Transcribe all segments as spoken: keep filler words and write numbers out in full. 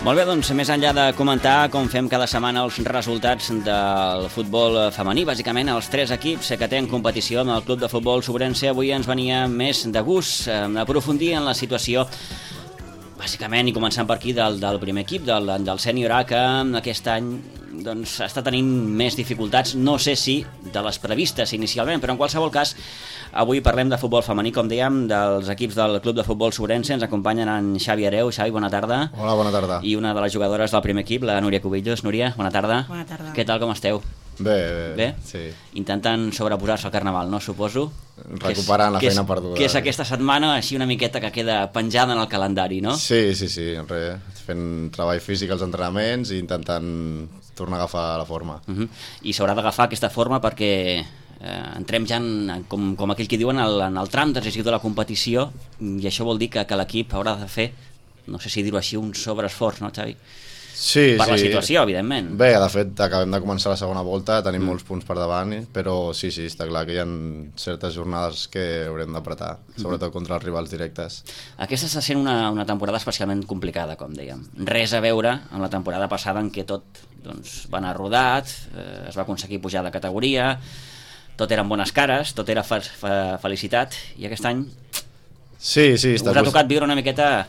Molt bé, doncs, més enllà de comentar com fem cada setmana els resultats del futbol femení, bàsicament els tres equips que tenen competició en el Club de Futbol Sobrense, avui ens venia més de gust eh, aprofundir en la situació, bàsicament, i començant per aquí, del, del primer equip, del, del sènior A, que aquest any doncs, està tenint més dificultats, no sé si de les previstes inicialment, però en qualsevol cas, avui parlem de futbol femení, com dèiem, dels equips del Club de Futbol Sobrense. Ens acompanyen en Xavi Hereu. Xavi, bona tarda. Hola, bona tarda. I una de les jugadores del primer equip, la Núria Cubillos. Núria, bona tarda. Bona tarda. Què tal, com esteu? Bé, bé, bé? Sí. Intentant sobreposar-se al Carnaval, no, suposo? Recuperant la feina és, perduda. Que és aquesta setmana així una miqueta que queda penjada en el calendari, no? Sí, sí, sí, res, fent treball físic als entrenaments i intentant tornar a agafar la forma. Uh -huh. I s'haurà d'agafar aquesta forma perquè eh, entrem ja, en, com, com aquell que diuen, en el, en el tram decisiu de la competició, i això vol dir que, que l'equip haurà de fer, no sé si dir-ho així, un sobreesforç, no, Xavi? Sí, per sí. la situació, evidentment. Bé, de fet, acabem de començar la segona volta, tenim mm. molts punts per davant, però sí, sí, està clar que hi ha certes jornades que haurem d'apretar, sobretot contra els rivals directes. Aquesta està sent una, una temporada especialment complicada, com dèiem. Res a veure amb la temporada passada en què tot doncs, va anar rodat, eh, es va aconseguir pujar de categoria, tot eren bones cares, tot era fe fe felicitat, i aquest any sí, sí, està us ha tocat viure una miqueta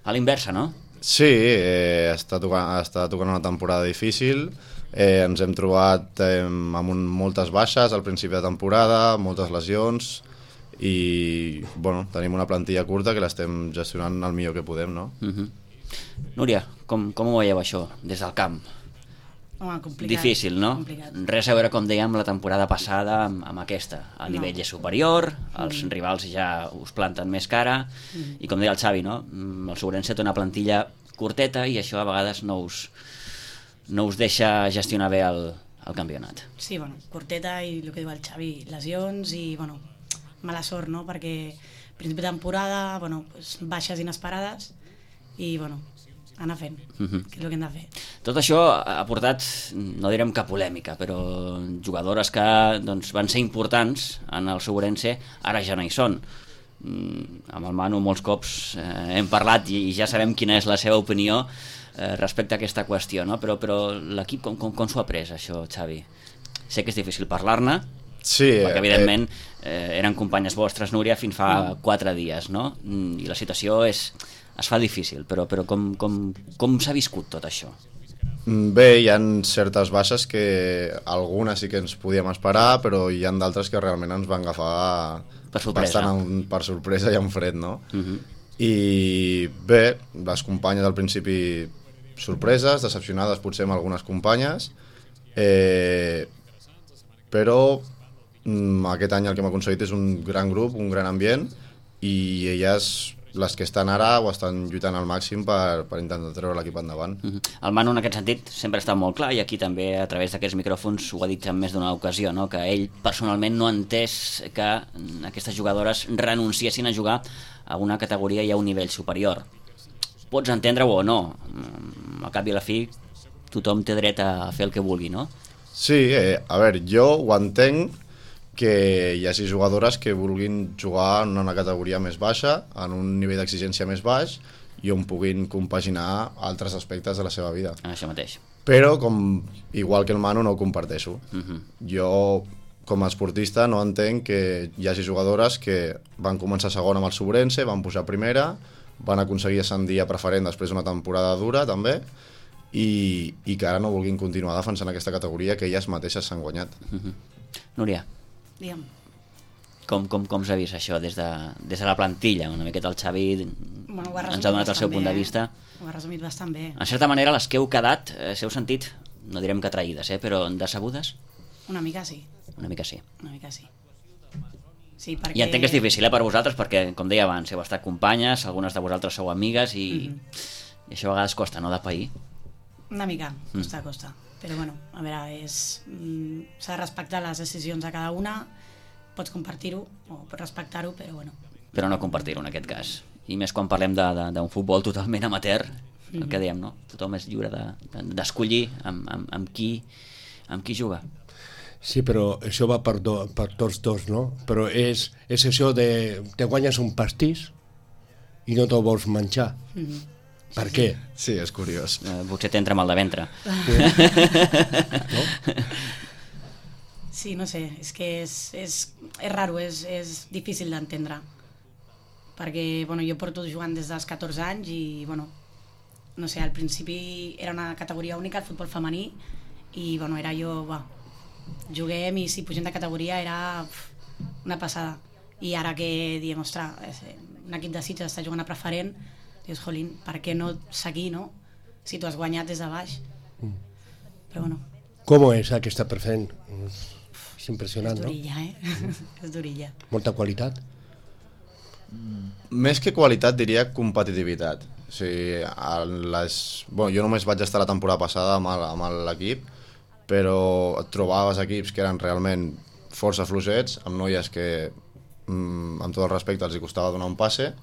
a l'inversa, no? Sí, eh, està, tocant, està tocant una temporada difícil, eh, ens hem trobat eh, amb un, moltes baixes al principi de temporada, moltes lesions i bueno, tenim una plantilla curta que l'estem gestionant el millor que podem, no? Uh -huh. Núria, com, com ho veieu això des del camp? Home, complicat. Difícil, no? Complicat. Res a veure, com dèiem, la temporada passada amb, amb aquesta. El nivell no. és superior, els mm. rivals ja us planten més cara, mm. i com deia el Xavi, no? El Sobrense té una plantilla curteta i això a vegades no us, no us deixa gestionar bé el, el campionat. Sí, bueno, curteta i el que diu el Xavi, lesions i, bueno, mala sort, no? Perquè principi de temporada, bueno, pues, baixes inesperades i, bueno, anar fent, uh-huh. que és el que hem de fer. Tot això ha portat, no direm que polèmica, però jugadores que doncs, van ser importants en el Sobrense, ara ja no hi són. Mm, amb el Manu molts cops eh, hem parlat i, i ja sabem quina és la seva opinió eh, respecte a aquesta qüestió, no? Però, però l'equip com, com, com s'ho ha pres, això, Xavi? Sé que és difícil parlar-ne, sí, perquè evidentment eh, eren companyes vostres, Núria, fins fa mm. quatre dies, no? Mm, i la situació és... es fa difícil, però, però com, com, com s'ha viscut tot això? Bé, hi ha certes baixes que algunes sí que ens podíem esperar, però hi ha d'altres que realment ens van agafar per sorpresa, bastant en, per sorpresa i en fred, no? Uh -huh. I bé, les companyes al principi sorpreses, decepcionades potser amb algunes companyes, eh, però mm, aquest any el que hem aconseguit és un gran grup, un gran ambient, i elles... les que estan ara ho estan lluitant al màxim per, per intentar treure l'equip endavant. Uh -huh. El Manu en aquest sentit sempre està molt clar, i aquí també a través d'aquests micròfons ho ha dit en més d'una ocasió, no? Que ell personalment no ha entès que aquestes jugadores renunciessin a jugar a una categoria i a un nivell superior. Pots entendre-ho o no, al cap i a la fi tothom té dret a fer el que vulgui, no? Sí, eh, a veure, jo ho entenc que hi hagi jugadores que vulguin jugar en una categoria més baixa, en un nivell d'exigència més baix, i on puguin compaginar altres aspectes de la seva vida. Això mateix. Però, com igual que el Manu, no ho comparteixo. Uh -huh. Jo, com a esportista, no entenc que hi hagi jugadores que van començar segona amb el Sobrense, van pujar primera, van aconseguir ascendir a preferent després d'una temporada dura, també, i, i que ara no vulguin continuar defensant aquesta categoria que elles mateixes s'han guanyat. Uh -huh. Núria, Digue'm. Com, com, com s'ha vist això des de, des de la plantilla? Una miqueta el Xavi Bueno, ho ha ens ha donat el seu bé, punt de eh? vista. Ho ha resumit bastant bé. En certa manera, les que heu quedat, eh, s'heu sentit, no direm que traïdes, eh, però decebudes? Una mica sí. Una mica sí. Una mica sí. Sí, perquè... I entenc que és difícil, eh, per vosaltres, perquè, com deia abans, heu estat companyes, algunes de vosaltres sou amigues, i, mm-hmm. i això a vegades costa, no, de pair? Una mica, costa, mm. costa. Però bueno, a veure, és... Mm, s'ha de respectar les decisions de cada una, pots compartir-ho o pots respectar-ho, però bueno. Però no compartir-ho en aquest cas. I més quan parlem d'un futbol totalment amateur, mm-hmm. el que dèiem, no? Tothom és lliure d'escollir de, de, amb, amb, amb, qui, amb qui juga. Sí, però això va per, do, per tots dos, no? Però és, és això de... te guanyes un pastís i no te'l vols menjar. Mm-hmm. Per què? Sí, és curiós. Eh, potser t'entra mal de ventre. No? Sí, no sé, és que és, és, és raro, és, és difícil d'entendre. Perquè bueno, jo porto jugant des dels catorze anys i bueno, no sé, al principi era una categoria única, el futbol femení, i bueno, era jo, va, juguem i si pugem de categoria era uf, una passada. I ara que diem, ostres, un equip de Sitges està jugant a preferent, dius, jolín, per què no seguir, no? Si tu has guanyat des de baix. Mm. Però bueno. Com és aquesta preferent? És impressionant, és no? durilla, eh? És durilla. Molta qualitat? Més que qualitat diria competitivitat. O sigui, les... bueno, jo només vaig estar la temporada passada amb l'equip, però et trobaves equips que eren realment força fluixets, amb noies que, amb tot el respecte, els hi costava donar un passe,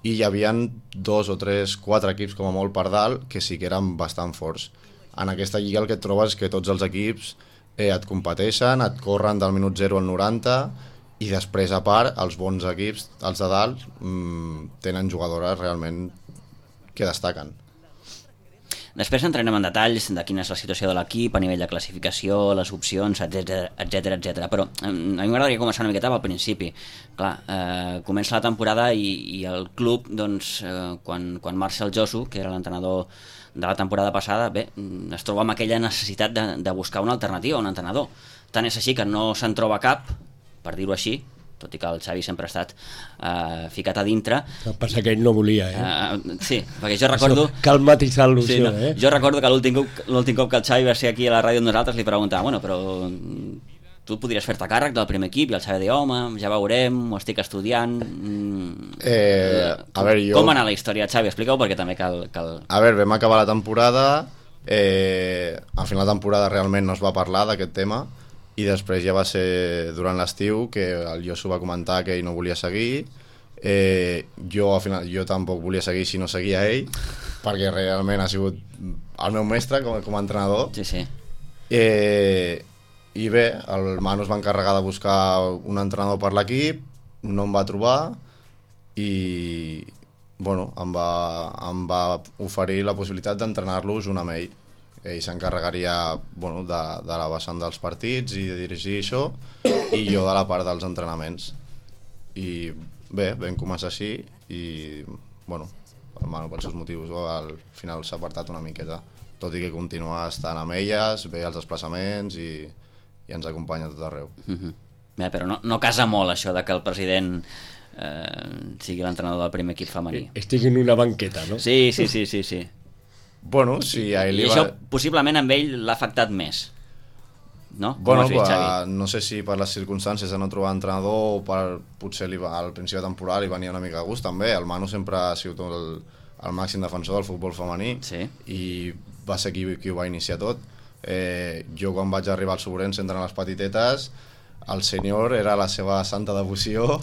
i hi havia dos o tres, quatre equips com a molt per dalt que sí que eren bastant forts. En aquesta lliga el que et trobes és que tots els equips eh, et competeixen, et corren del minut zero al noranta, i després, a part, els bons equips, els de dalt, mmm, tenen jugadores realment que destaquen. Després entrarem en detalls de quina és la situació de l'equip a nivell de classificació, les opcions, etcètera, etcètera, etcètera. Però a mi m'agradaria començar una miqueta al principi. Clar, eh, comença la temporada i, i el club, doncs, eh, quan, quan marxa el Josu, que era l'entrenador de la temporada passada, bé, es troba amb aquella necessitat de, de buscar una alternativa, un entrenador. Tant és així que no se'n troba cap, per dir-ho així, tot i que el Xavi sempre ha estat uh, ficat a dintre. El que passa que ell no volia, eh? Uh, sí, perquè jo recordo... Això, cal matisar l'il·lusió, sí, no, eh? Jo recordo que l'últim cop, l'últim cop que el Xavi va ser aquí a la ràdio amb nosaltres li preguntava, bueno, però tu podries fer-te càrrec del primer equip? I el Xavi deia, home, ja veurem, ho estic estudiant... Mm, eh, a veure, jo... Com va anar la història, Xavi? Explica-ho perquè també cal... cal... A veure, vam acabar la temporada, eh, al final de la temporada realment no es va parlar d'aquest tema, i després ja va ser durant l'estiu que el Josu va comentar que ell no volia seguir. eh, jo al final jo tampoc volia seguir si no seguia ell, perquè realment ha sigut el meu mestre com, com a entrenador. Sí, sí. Eh, i bé, el Manu es va encarregar de buscar un entrenador per l'equip, no em va trobar i bueno, em va, em va oferir la possibilitat d'entrenar-los un amb ell. Ell s'encarregaria bueno, de, de la vessant dels partits i de dirigir això, i jo de la part dels entrenaments. I bé, vam començar així i bueno, el Manu per seus motius al final s'ha apartat una miqueta, tot i que continua estant amb elles, ve als desplaçaments i, i ens acompanya a tot arreu. Mm-hmm. Bé, però no, no casa molt això de que el president eh, sigui l'entrenador del primer equip femení. Estigui en una banqueta, no? Sí, sí, sí, sí, sí. Bueno, si a ell I li això va... possiblement amb ell l'ha afectat més, no? Com Bueno, has vist, va, Xavi? no sé si per les circumstàncies de no trobar entrenador o per, potser li va, al principi de temporada li venia una mica de gust també. El Manu sempre ha sigut el, el màxim defensor del futbol femení, Sí. i va ser qui, qui ho va iniciar tot. Eh, jo quan vaig arribar al Sobrense entre les petitetes, el senyor era la seva santa devoció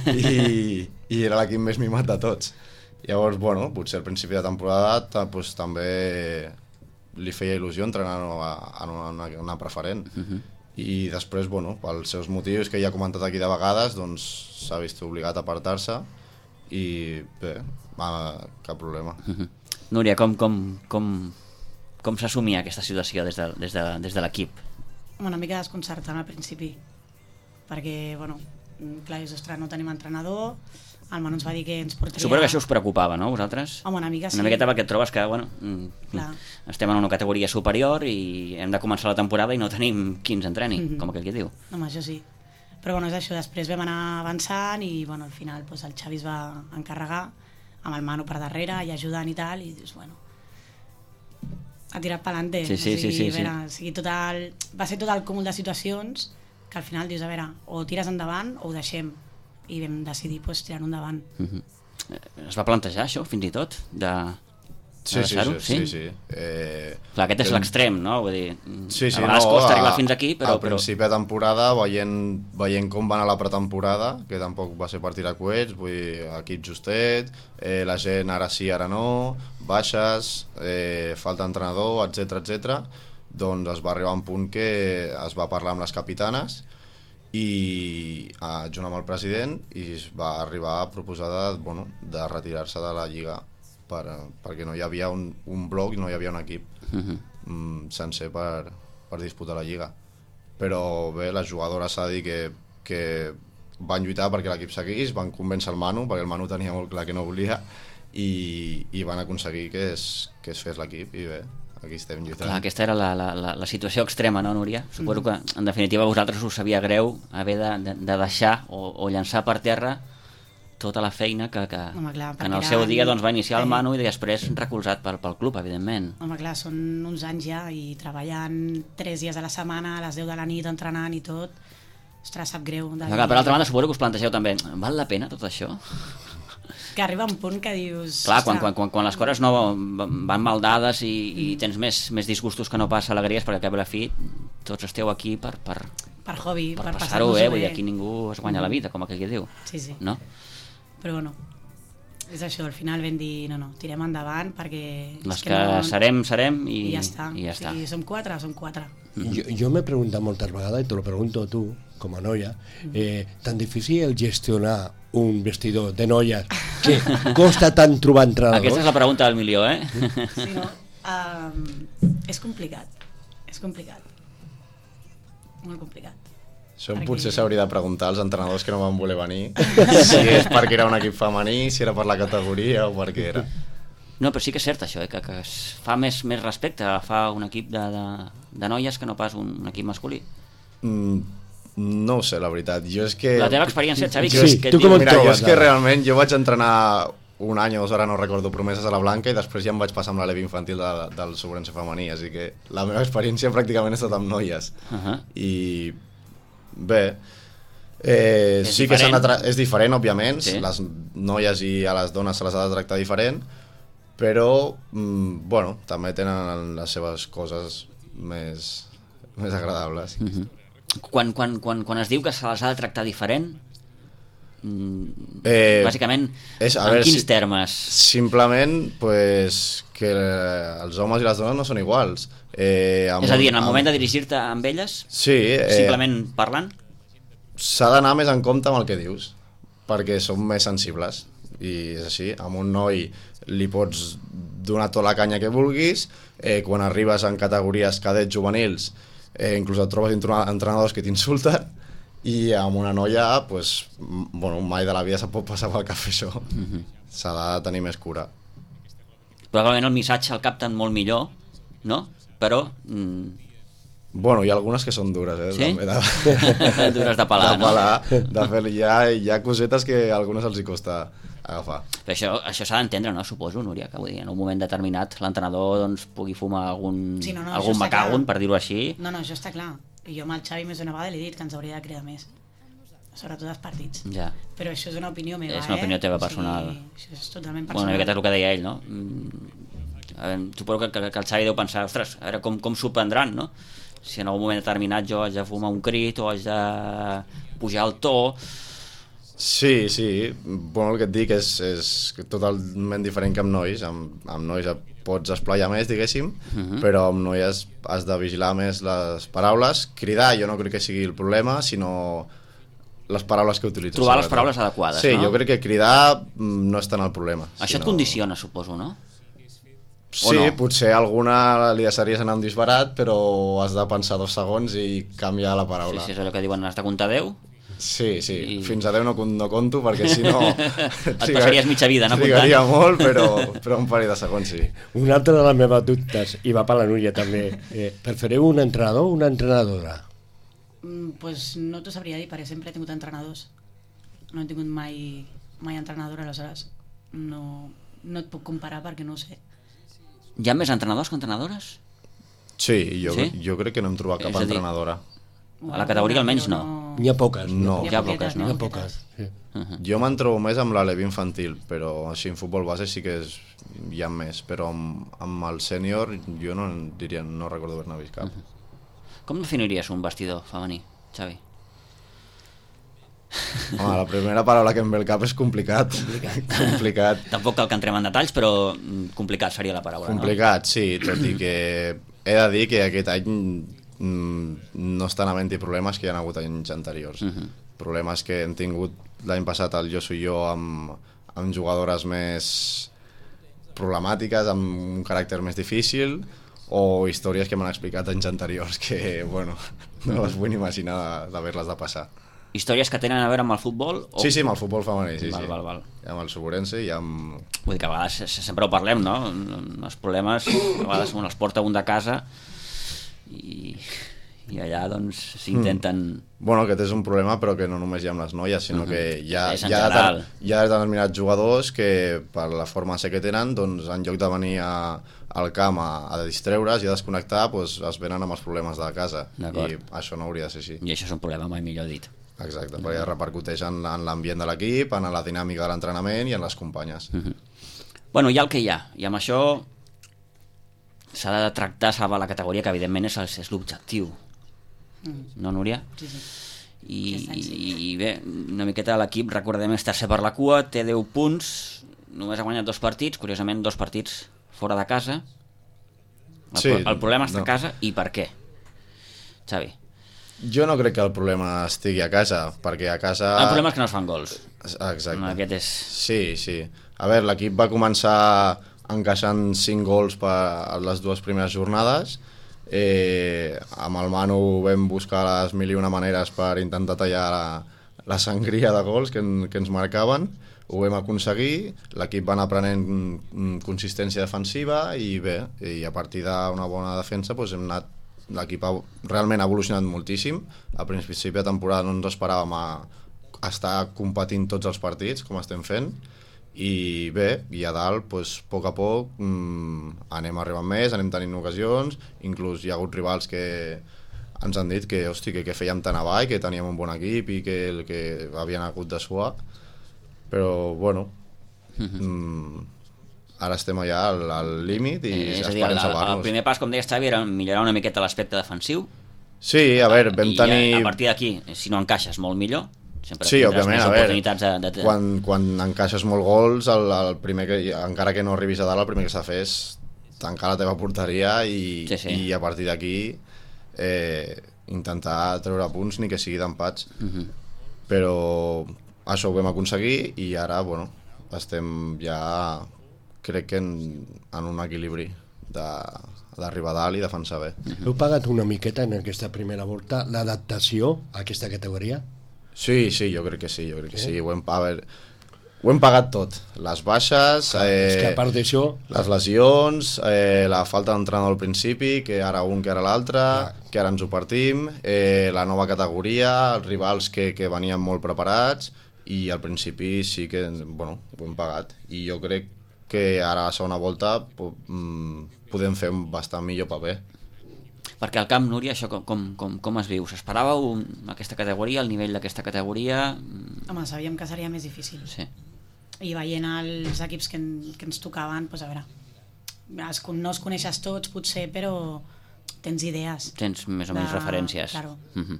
i, i era l'equip més mimat de tots. Llavors, bueno, potser al principi de temporada pues, també li feia il·lusió entrenar en una, una, una preferent. Uh-huh. I després, bueno, pels seus motius que ja he comentat aquí de vegades, doncs s'ha vist obligat a apartar-se i bé, va, cap problema. Uh-huh. Núria, com, com, com, com s'assumia aquesta situació des de, des de, des de l'equip? Una mica desconcertant al principi, perquè, bueno, clar, és, ostres, no tenim entrenador, el Manu ens va dir que ens portaria... Suposo que això us preocupava, no, vosaltres? Home, una mica sí. Una miqueta perquè et trobes que, bueno, Clar. estem en una categoria superior i hem de començar la temporada i no tenim qui ens entreni, mm-hmm. com aquell que diu. Home, això sí. Però bueno, és això, després vam anar avançant i bueno, al final pues, el Xavi es va encarregar amb el Manu per darrere i ajudant i tal, i dius, bueno, ha tirat pa'lante. Sí, sí, o sigui, sí, sí, a veure, sí. o sigui, tot el, va ser tot el cúmul de situacions que al final dius, a veure, o tires endavant o ho deixem, i vam decidir pues, tirar endavant. Mm-hmm. Es va plantejar això, fins i tot, de, de Sí, sí, deixar-ho? sí, sí, sí. Eh, Clar, aquest és l'extrem, no? Vull dir, sí, sí, a vegades no, costa a, arribar fins aquí, però... Al principi de temporada, veient, veient com va anar la pretemporada, que tampoc va ser per tirar coets, vull dir, equip justet, eh, la gent ara sí, ara no, baixes, eh, falta entrenador, etcètera, etcètera, doncs es va arribar a un punt que es va parlar amb les capitanes i eh, junt amb el president i es va arribar a proposar de, bueno, de retirar-se de la Lliga per, perquè no hi havia un, un bloc, no hi havia un equip Uh-huh. mm, sencer per, per disputar la Lliga. Però bé, les jugadores s'ha de dir que, que van lluitar perquè l'equip seguís, van convèncer el Manu, perquè el Manu tenia molt clar que no volia, i, i van aconseguir que es, que es fes l'equip, i bé, aquí estem lluitant. Clar, aquesta era la, la, la, la situació extrema, no, Núria? Suposo que, en definitiva, a vosaltres us sabia greu haver de, de, de deixar o, o llançar per terra tota la feina que, que, Home, clar, que en el perquè seu era- dia doncs, va iniciar el eh. Manu i després recolzat pel, pel club, evidentment. Home, clar, són uns anys ja i treballant tres dies a la setmana, a les deu de la nit, entrenant i tot. Ostres, sap greu. De Però, clar, per altra banda, suposo que us plantegeu també, val la pena tot això? Que arriba un punt que dius... Clar, quan, ostres, quan, quan, quan les coses no van mal dades i, i tens més, més disgustos que no pas alegries, perquè al cap i a la fi tots esteu aquí per, per, Per hobby, per per, passar-ho passar-nos-ho bé, vull dir, aquí ningú es guanya la vida, com aquell que diu, Sí, sí. no? Però bueno, és això, al final vam dir, no, no, tirem endavant perquè... és Les que no, serem, serem i, I ja està. i ja està. O sigui, som quatre, som quatre. Jo, jo m'he preguntat moltes vegades, i te lo pregunto a tu, com a noia, eh, tan difícil gestionar un vestidor de noies que costa tant trobar entrenadors? Aquesta és la pregunta del milió, eh? Sí, no? Um, és complicat, és complicat. Molt complicat. Això Perquè- potser s'hauria de preguntar als entrenadors que no van voler venir, si és perquè era un equip femení, si era per la categoria o per què era. No, però sí que és cert això, eh? que, que es fa més, més respecte a fa un equip de, de, de noies que no pas un, un equip masculí. Mm, no ho sé, la veritat. Jo és que... La teva experiència, Xavi, Sí, que, és- que tu et com diu- et Mira, jo trobes, és que ara? realment jo vaig entrenar un any o dos, ara no recordo, promeses a la Blanca, i després ja em vaig passar amb la leve infantil de, del Sobrense femení, així que la meva experiència pràcticament ha estat amb noies. Uh-huh. I bé, eh, És sí que s'han de diferent. tra- és diferent, òbviament, Sí. les noies i a les dones se les ha de tractar diferent, però, mm, bueno, també tenen les seves coses més, més agradables. Uh-huh. Quan, quan, quan, quan es diu que se les ha de tractar diferent, mm, Eh, bàsicament, és- a en veure, quins si- termes? Simplement pues, que els homes i les dones no són iguals. Eh, amb És a dir, en el amb- moment de dirigir-te amb elles, Sí, eh, simplement parlant? s'ha d'anar més en compte amb el que dius, perquè som més sensibles, i és així. Amb un noi li pots donar tota la canya que vulguis, eh, quan arribes en categories cadets juvenils, eh, inclús et trobes entre- entrenadors que t'insulten, i amb una noia, pues, m- bueno, mai de la vida se pot passar pel cafè això. Mhm. S'ha de tenir més cura. Probablement el missatge el capten molt millor, no? Però... Mm, Bueno, hi ha algunes que són dures, eh? Sí? També de, Dures de pelar, de no? pelar, de fer, hi, ha, hi ha cosetes que a algunes els hi costa agafar. Però això, això s'ha d'entendre, no? Suposo, Núria, que vull dir, en un moment determinat l'entrenador doncs, pugui fumar algun, Sí, no, no, algun això està macagun, clar. per dir-ho així. No, no, això està clar. I jo amb el Xavi més d'una vegada li he dit que ens hauria de cridar més. Sobretot als partits. Ja. Però això és una opinió meva, És una opinió eh? teva O sigui, personal. això és totalment Bueno, personal. una miqueta és el que deia ell, no? Mm, a veure, suposo que, que, que el Xavi deu pensar, ostres, a veure com, com s'ho prendran, no? Si en algun moment determinat jo haig de fumar un crit o haig de pujar el to... Sí, sí, bueno, el que et dic és, és totalment diferent que amb nois. Amb, amb nois et pots esplaiar més, diguéssim, Mhm. però amb noies has de vigilar més les paraules. Cridar jo no crec que sigui el problema, sinó les paraules que utilitzes. Trobar les sobretot. paraules adequades, sí, no? jo crec que cridar mm, no és tant el problema. Això et condiciona, suposo, no? Sí, o no? potser alguna li deixaries anar un disbarat, però has de pensar dos segons i canviar la Sí, paraula. sí, és allò que diuen, has de comptar deu? Sí, sí, I- fins a deu no, no conto, perquè si no... Et passaries mitja vida, no, Trigaria comptant? molt, però, però un parell de segons sí. Una altra de les meves dubtes, i va per la Núria també, eh, prefereu un entrenador o una entrenadora? Mm, pues no t'ho sabria dir, perquè sempre he tingut entrenadors. No he tingut mai, mai entrenadora, aleshores no, no et puc comparar perquè no ho sé. Hi ha més entrenadors que entrenadores? Sí, jo, Sí? jo crec que no hem trobat És cap a dir, entrenadora. A la categoria almenys no. N'hi ha poques. No. Hi ha poques, no? N'hi ha poques. Sí. Jo me'n trobo més amb la leve infantil, però així en futbol base sí que és, hi ha més, però amb, amb el sènior jo no en diria, no recordo haver-ne vist cap. Com definiries un vestidor femení, Xavi? Home, la primera paraula que em ve al cap és complicat. Complicat. Tampoc cal que entrem en detalls, però mm, complicat seria la paraula, Complicat, sí, tot i que he de dir que aquest any mm, no estan havent-hi problemes que hi ha hagut anys anteriors. Mhm. Problemes que hem tingut l'any passat el Jo Soy Jo amb, amb jugadores més problemàtiques amb un caràcter més difícil o històries que m'han explicat anys anteriors que, bueno, no les vull imaginar d'haver-les de passar. Històries que tenen a veure amb el futbol? O... Sí, sí, amb el futbol femení, sí, val, sí. Val, val. I amb el Suburense i amb... Vull dir que a vegades sempre ho parlem, no? Els problemes a vegades els porta un de casa i, i allà doncs s'intenten... Mm. Bueno, aquest és un problema però que no només hi ha amb les noies, sinó uh -huh. que hi ha, hi, ha deter... hi ha determinats jugadors que per la forma ser que tenen, doncs en lloc de venir a, al camp a, a distreure's i a desconnectar, doncs es venen amb els problemes de casa i això no hauria de ser així. I això és un problema, mai millor dit. Exacte, perquè ja repercuteix en, en l'ambient de l'equip, en la dinàmica de l'entrenament i en les companyes. Uh -huh. Bueno, hi ha el que hi ha, i amb això s'ha de tractar, salvar la categoria, que evidentment és, és l'objectiu. Mm. No, Núria? Sí, sí. I, i, i bé, una miqueta l'equip, recordem, és tercer per la cua, té deu punts, només ha guanyat dos partits, curiosament dos partits fora de casa. El, sí, el problema està no. a casa, i per què? Xavi? Jo no crec que el problema estigui a casa, perquè a casa... El problema és que no es fan gols. Exacte. Aquest és... Sí, sí. A veure, l'equip va començar encaixant cinc gols per a les dues primeres jornades. Eh, amb el Manu vam buscar les mil i una maneres per intentar tallar la, la sangria de gols que, en, que ens marcaven. Ho vam aconseguir, l'equip va anar prenent consistència defensiva i bé, i a partir d'una bona defensa doncs hem anat, l'equip ha, realment ha evolucionat moltíssim. A principi de temporada no ens esperàvem a, a estar competint tots els partits com estem fent i bé, i a dalt doncs, a poc a poc mmm, anem arribant més, anem tenint ocasions, inclús hi ha hagut rivals que ens han dit que, hosti, que, que fèiem tan avall, que teníem un bon equip i que, que havien hagut de suar, però bueno mmm, ara estem allà al, al límit i eh, esperem salvar-nos. El primer pas, com deies, Xavi, era millorar una miqueta l'aspecte defensiu. Sí, a veure, vam I tenir... a, a partir d'aquí, si no encaixes molt millor, sempre sí, tindràs òbviament, més a oportunitats veure, de, de... Quan, quan encaixes molt gols, el, el primer que, encara que no arribis a dalt, el primer que s'ha de fer és tancar la teva porteria i, sí, sí. i a partir d'aquí eh, intentar treure punts ni que sigui d'empats. Uh -huh. Però això ho vam aconseguir i ara, bueno, estem ja, crec que en, en un equilibri d'arribar a dalt i defensar bé. Uh -huh. Heu pagat una miqueta en aquesta primera volta l'adaptació a aquesta categoria? Sí, sí, jo crec que sí, jo crec que sí. Ho hem, a veure, ho hem pagat tot. Les baixes, eh, és que a part d'això... les lesions, eh, la falta d'entrenador al principi, que ara un, que ara l'altre, que ara ens ho partim, eh, la nova categoria, els rivals que, que venien molt preparats, i al principi sí que, bueno, ho hem pagat. I jo crec que ara a la segona volta podem fer un bastant millor paper. Perquè al camp, Núria, això com, com, com, com es viu? S'esperàveu aquesta categoria, el nivell d'aquesta categoria? Home, sabíem que seria més difícil. Sí. I veient els equips que, en, que ens tocaven, doncs a veure, es, no els coneixes tots potser, però tens idees. Tens més o menys de... referències. Claro. Uh-huh.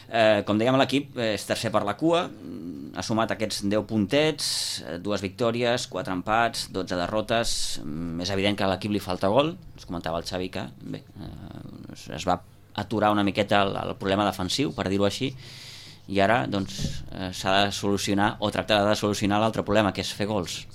Eh, com dèiem, l'equip és tercer per la cua, ha sumat aquests deu puntets, dues victòries, quatre empats, dotze derrotes. És evident que a l'equip li falta gol, ens comentava el Xavi que bé, eh, es va aturar una miqueta el, el problema defensiu, per dir-ho així, i ara doncs eh, s'ha de solucionar o tractar de solucionar l'altre problema, que és fer gols.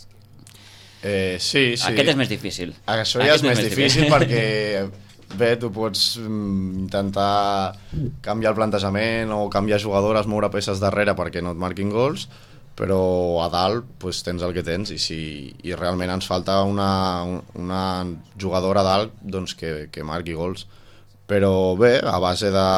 Eh, sí, sí. Aquest és més difícil. Això ja Aquest és més difícil, difícil perquè bé, tu pots mm, intentar canviar el plantejament o canviar jugadores, moure peces darrere perquè no et marquin gols, però a dalt pues, tens el que tens i, si, i realment ens falta una, una jugadora a dalt doncs, que, que marqui gols. Però bé, a base de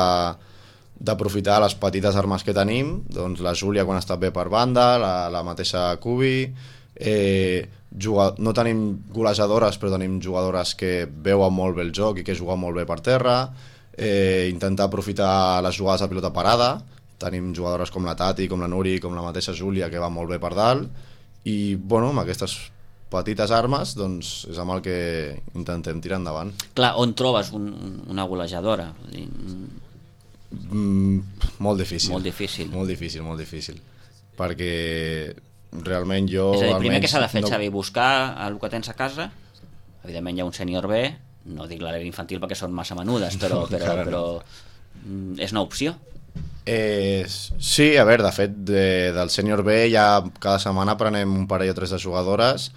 d'aprofitar les petites armes que tenim, doncs la Júlia quan està bé per banda, la, la mateixa Cubi, eh, Juga, no tenim golejadores però tenim jugadores que veuen molt bé el joc i que juguen molt bé per terra, eh, intentar aprofitar les jugades a pilota parada, tenim jugadores com la Tati, com la Nuri, com la mateixa Júlia que van molt bé per dalt i bueno, amb aquestes petites armes doncs és amb el que intentem tirar endavant. Clar, on trobes un, una golejadora? Mm, molt difícil. Molt difícil. Molt difícil, molt difícil. Perquè realment jo... És a dir, primer que s'ha de fer, no... Xavi, buscar el que tens a casa. Evidentment hi ha un sènior B, no dic l'àrea infantil perquè són massa menudes, però, però, però és una opció. Eh, sí, a veure, de fet de, del sènior B ja cada setmana prenem un parell o tres de jugadores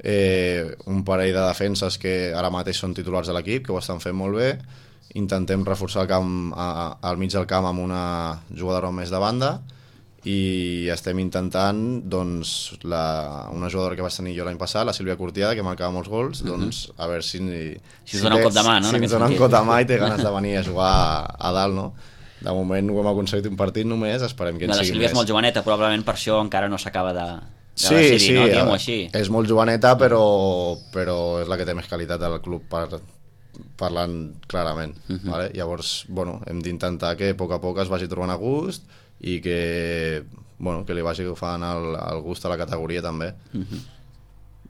eh, un parell de defenses que ara mateix són titulars de l'equip, que ho estan fent molt bé. Intentem reforçar el camp a, al mig del camp amb una jugadora més de banda i estem intentant doncs, la, una jugadora que vaig tenir jo l'any passat, la Sílvia Curtiada, que marcava molts gols, doncs a veure si, si, si us dona un cop de mà, no? Si ens dona un cop de mà i té ganes de venir a jugar a, a dalt, no? De moment ho hem aconseguit un partit només, esperem que en la sigui Sílvia més. és molt joveneta, probablement per això encara no s'acaba de, de sí, decidir, sí, no? Diguem-ho així. És molt joveneta, però, però és la que té més qualitat del club per, parlant clarament. Uh -huh. Vale? Llavors, bueno, hem d'intentar que a poc a poc es vagi trobant a gust i que, bueno, que li vagi agafant el, el gust a la categoria també. Uh -huh.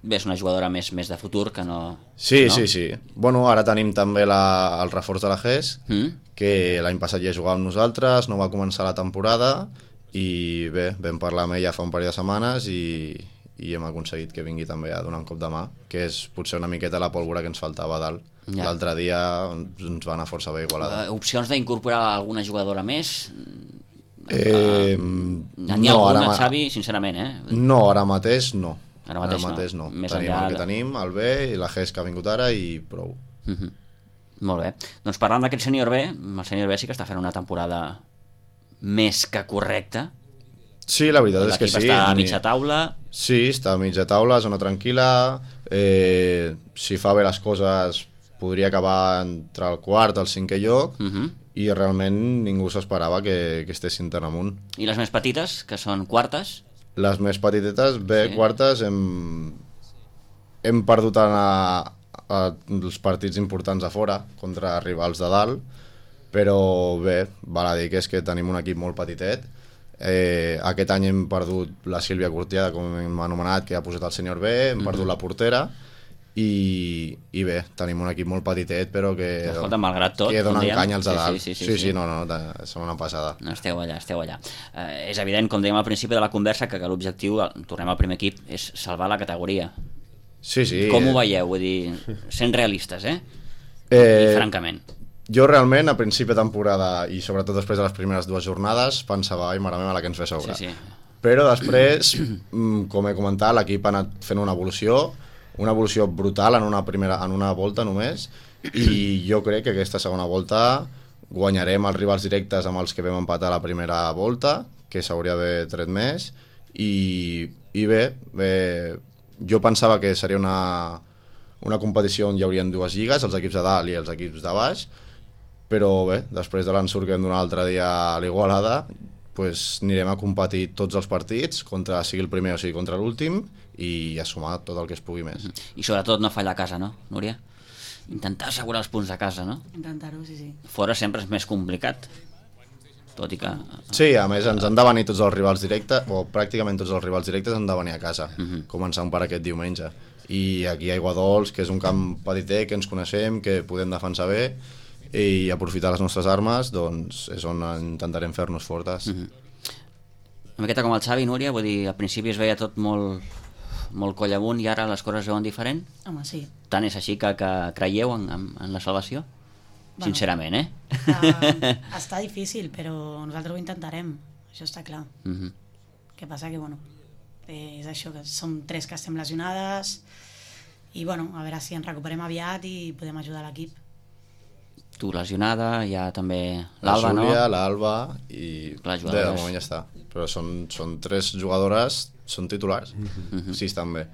Bé, és una jugadora més, més de futur que no... Sí, no? sí, sí. Bueno, ara tenim també la, el reforç de la G E S, mm. que l'any passat ja jugava amb nosaltres, no va començar la temporada i bé, vam parlar amb ella fa un parell de setmanes i, i hem aconseguit que vingui també a donar un cop de mà, que és potser una miqueta la pólvora que ens faltava a dalt. Ja. L'altre dia ens va anar força bé Igualada. Uh, opcions d'incorporar alguna jugadora més? Eh, uh, N'hi ha no, alguna, ara, Xavi, sincerament, eh? No, ara mateix no. Ara mateix, ara mateix no. no. Més Tenim enllà el que de... tenim, el B i la G E S que ha vingut ara i prou. Uh -huh. Molt bé. Doncs parlant d'aquest sènior B, el sènior B sí que està fent una temporada més que correcta. Sí, la veritat és que sí. L'equip està a mitja taula. Sí, està a mitja taula, zona tranquil·la. Eh, si fa bé les coses podria acabar entre el quart i el cinquè lloc. Uh -huh. I realment ningú s'esperava que, que estessin tan amunt. I les més petites, que són quartes? Les més petitetes, bé, sí. Quartes, hem, hem perdut a, a, els partits importants a fora contra rivals de dalt, però bé, val a dir que és que tenim un equip molt petitet. Eh, aquest any hem perdut la Sílvia Curtiada, com hem anomenat, que ha posat el sènior B, hem mm-hmm. perdut la portera, i, i bé, tenim un equip molt petitet però que, escolta, malgrat tot, que donen canya als de dalt. Sí, sí, sí, sí, sí, sí, sí, no, no, són una passada. No, esteu allà, esteu allà. Eh, és evident, com dèiem al principi de la conversa, que, que l'objectiu, tornem al primer equip, és salvar la categoria. Sí, sí. Com ho veieu? Vull dir, sent realistes, eh? eh I francament. Jo realment, a principi de temporada i sobretot després de les primeres dues jornades, pensava, ai, mare meva, la que ens ve a sobre. Sí, sí. Però després, com he comentat, l'equip ha anat fent una evolució, una evolució brutal en una, primera, en una volta només, i jo crec que aquesta segona volta guanyarem els rivals directes amb els que vam empatar la primera volta, que s'hauria d'haver tret més, i, i bé, bé, jo pensava que seria una, una competició on hi haurien dues lligues, els equips de dalt i els equips de baix, però bé, després de l'ensurt que hem donat l'altre dia a l'Igualada, pues, anirem a competir tots els partits, contra sigui el primer o sigui contra l'últim, i a sumar tot el que es pugui més. I sobretot no fallar a casa, no, Núria? Intentar assegurar els punts a casa, no? Intentar-ho, sí, sí. Fora sempre és més complicat, tot i que... Sí, a més ens han de venir tots els rivals directes, o pràcticament tots els rivals directes han de venir a casa, uh -huh. començant per aquest diumenge. I aquí a Aiguadols, que és un camp petitet, que ens coneixem, que podem defensar bé, i aprofitar les nostres armes, doncs és on intentarem fer-nos fortes. Uh -huh. Una miqueta com el Xavi, Núria, vull dir, al principi es veia tot molt... molt coll amunt i ara les coses es veuen diferent? Home, sí. Tant és així que, que creieu en, en, en la salvació? Bueno, sincerament, eh? Està, està difícil, però nosaltres ho intentarem, això està clar. Uh -huh. Què passa que, bueno, és això, que som tres que estem lesionades i, bueno, a veure si ens recuperem aviat i podem ajudar l'equip. Tu lesionada, hi ha també l'Alba, no? La Júlia, l'Alba i... Bé, de moment ja està. Però són, són tres jugadores, són titulars, uh-huh. sí, estan bé.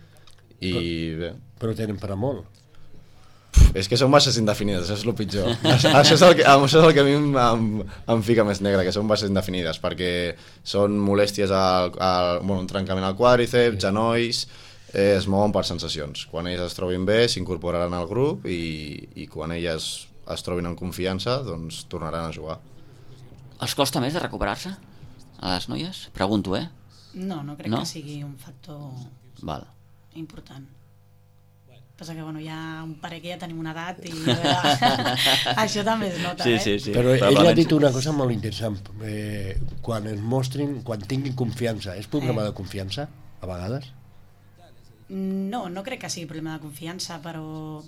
I però, bé. Però tenen per a molt. És que són baixes indefinides, això és el pitjor. això, és el que, això és el que a mi em, em, em fica més negre, que són baixes indefinides, perquè són molèsties al, al bueno, un trencament al quàdriceps, genolls, eh, es mouen per sensacions. Quan elles es trobin bé, s'incorporaran al grup i, i quan elles es trobin en confiança, doncs tornaran a jugar. Els costa més de recuperar-se a les noies? Pregunto, eh? No, no crec no? que sigui un factor Val. important. Passa que, bueno, hi ha un parell que ja tenim una edat i veure, això també es nota, sí, eh? sí, sí. Però ell ha dit una cosa molt interessant. Eh, quan es mostrin, quan tinguin confiança, és problema eh. de confiança, a vegades? No, no crec que sigui problema de confiança, però...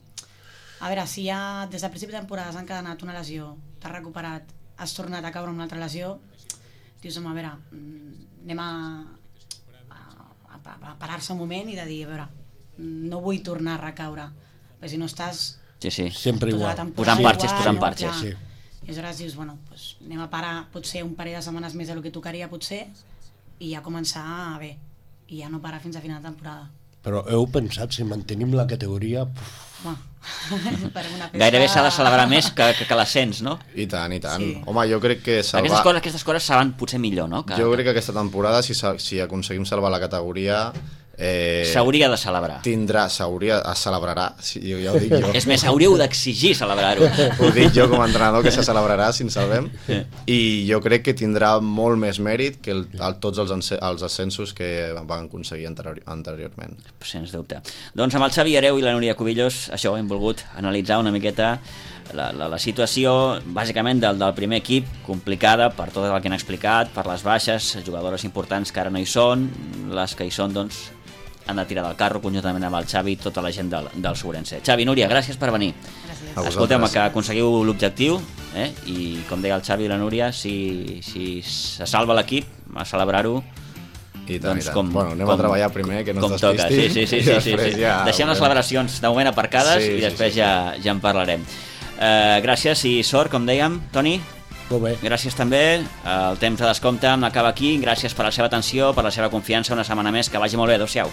A veure, si ja des del principi de temporada s'ha encadenat una lesió, t'has recuperat, has tornat a caure amb una altra lesió, dius, home, a veure, anem a, a, a, a parar-se un moment i de dir, a veure, no vull tornar a recaure, perquè si no estàs Sí, sí. Sempre tota la igual. temporada Posant parxes, igual, posant no? parxes. Clar. Sí. I aleshores dius, bueno, pues, anem a parar potser un parell de setmanes més del que tocaria potser i ja començar a bé, i ja no parar fins a final de temporada. Però heu pensat, si mantenim la categoria... Puf, Bueno, per una festa... Gairebé s'ha de celebrar més que, que, que l'ascens, no? I tant, i tant. Sí. Home, jo crec que salvar... Aquestes coses, aquestes coses saben potser millor, no? Que, Jo crec que aquesta temporada, si, sa- si aconseguim salvar la categoria... Eh, s'hauria de celebrar. tindrà, s'hauria, es celebrarà, sí, jo, ja ho dic jo. És més, hauríeu d'exigir celebrar-ho. Ho dic jo com a entrenador, que se celebrarà si ens salvem. I jo crec que tindrà molt més mèrit que el, el, tots els, ence- els ascensos que van aconseguir anterior, anteriorment. Sens dubte. Doncs amb el Xavi Hereu i la Núria Cubillos, això hem volgut analitzar una miqueta la, la, la situació, bàsicament del, del primer equip, complicada per tot el que han explicat, per les baixes, jugadores importants que ara no hi són, les que hi són, doncs, han de tirar del carro conjuntament amb el Xavi i tota la gent del, del Sobrense. Xavi, Núria, gràcies per venir. Gràcies. A Escolteu, vosaltres. que aconseguiu l'objectiu, eh? I com deia el Xavi i la Núria, si, si se salva l'equip, a celebrar-ho, I tant, doncs i tant. com, Bueno, anem com, a treballar primer, que no com ens toca. Sí, despistin. sí, sí, i sí, sí, després sí. ja Deixem les veurem. celebracions de moment aparcades Sí, i sí, després sí, sí. Ja, ja en parlarem. Eh, gràcies i sort, com dèiem, Toni. molt bé. Gràcies també. El temps de descompte acaba aquí. Gràcies per la seva atenció, per la seva confiança una setmana més. Que vagi molt bé. Adéu-siau.